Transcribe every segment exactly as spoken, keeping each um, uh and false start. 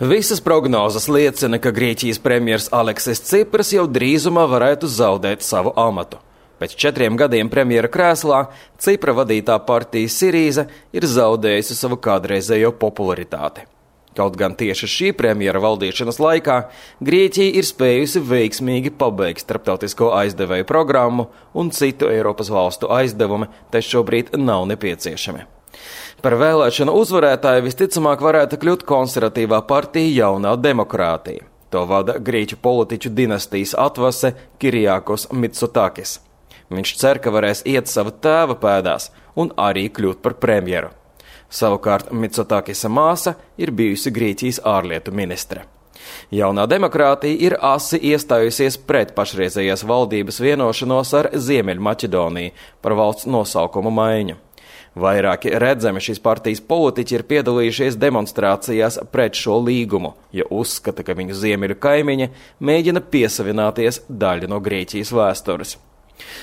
Visas prognozes liecina, ka Grieķijas premjers Aleksis Cipras jau drīzumā varētu zaudēt savu amatu. Pēc četriem gadiem premjera krēslā Cipra vadītā partija Sirīza ir zaudējusi savu kādreizējo popularitāti. Kaut gan tieši šī premjera valdīšanas laikā Grieķija ir spējusi veiksmīgi pabeigt starptautisko aizdevēju programmu un citu Eiropas valstu aizdevumi, te šobrīd nav nepieciešami. Par vēlēšanu uzvarētāju visticamāk varētu kļūt konservatīvā partija Jaunā demokrātija. To vada grieķu politiķu dinastijas atvase Kirijākos Mitsotakis. Viņš cer, ka varēs iet sava tēva pēdās un arī kļūt par premjeru. Savukārt Mitsotakisa māsa ir bijusi Grieķijas ārlietu ministre. Jaunā demokrātija ir asi iestājusies pret pašreizējās valdības vienošanos ar Ziemeļmaķedoniju par valsts nosaukumu maiņu. Vairāki redzami šīs partijas politiķi ir piedalījušies demonstrācijās pret šo līgumu, jo uzskata, ka viņu ziemeļu kaimiņi mēģina piesavināties daļu no Grieķijas vēstures.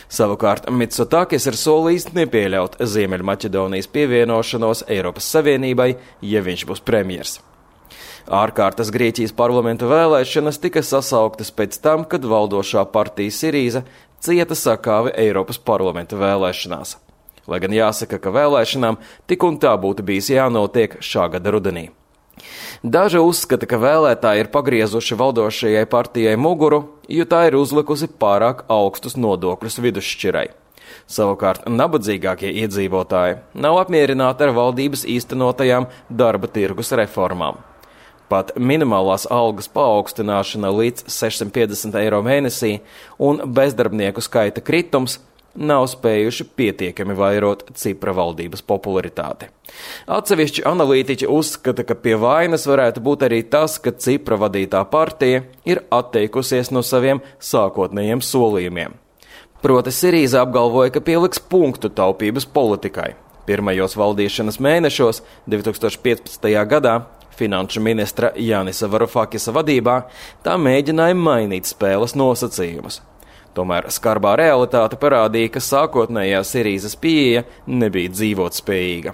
Savukārt Mitsotakis ir solījis nepieļaut Ziemeļmaķedonijas pievienošanos Eiropas Savienībai, ja viņš būs premjers. Ārkārtas Grieķijas parlamenta vēlēšanas tika sasauktas pēc tam, kad valdošā partija Sirīza cieta sakāvi Eiropas parlamenta vēlēšanās. Lai gan jāsaka, ka vēlēšanām tik un tā būtu bijis jānotiek šā gada rudenī. Daži uzskata, ka vēlētāji ir pagriezuši valdošajai partijai muguru, jo tā ir uzlikusi pārāk augstus nodokļus vidusšķirai. Savukārt nabadzīgākie iedzīvotāji nav apmierināti ar valdības īstenotajām darba tirgus reformām. Pat minimālās algas paaugstināšana līdz sešsimt piecdesmit eiro mēnesī un bezdarbnieku skaita kritums nav spējuši pietiekami vairot Cipra valdības popularitāti. Atsevišķi analītiķi uzskata, ka pie vainas varētu būt arī tas, ka Cipra vadītā partija ir atteikusies no saviem sākotnējiem solījumiem. Proti Sirīza apgalvoja, ka pieliks punktu taupības politikai. Pirmajos valdīšanas mēnešos divi tūkstoši piecpadsmitajā gadā finanšu ministra Janisa Varufakisa vadībā tā mēģināja mainīt spēles nosacījumus. Tomēr skarbā realitāte parādīja, ka sākotnējā Sirīzas pieeja nebija dzīvotspējīga.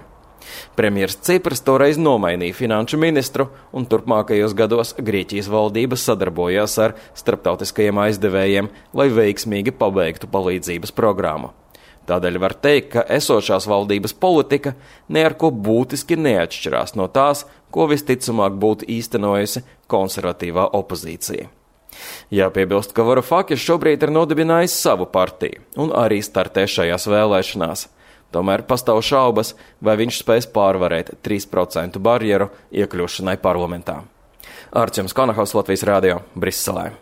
Premjers Cipras toreiz nomainīja finanšu ministru, un turpmākajos gados Grieķijas valdība sadarbojās ar starptautiskajiem aizdevējiem, lai veiksmīgi pabeigtu palīdzības programmu. Tādēļ var teikt, ka esošās valdības politika ne ar ko būtiski neatšķirās no tās, ko visticamāk būtu īstenojusi konservatīvā opozīcija. Jāpiebilst, ka Varufakis šobrīd ir nodibinājis savu partiju un arī startē šajās vēlēšanās. Tomēr pastāv šaubas, vai viņš spēs pārvarēt trīs procentu barjeru iekļūšanai parlamentā. Arčuns Konahaus, Latvijas radio, Briselē.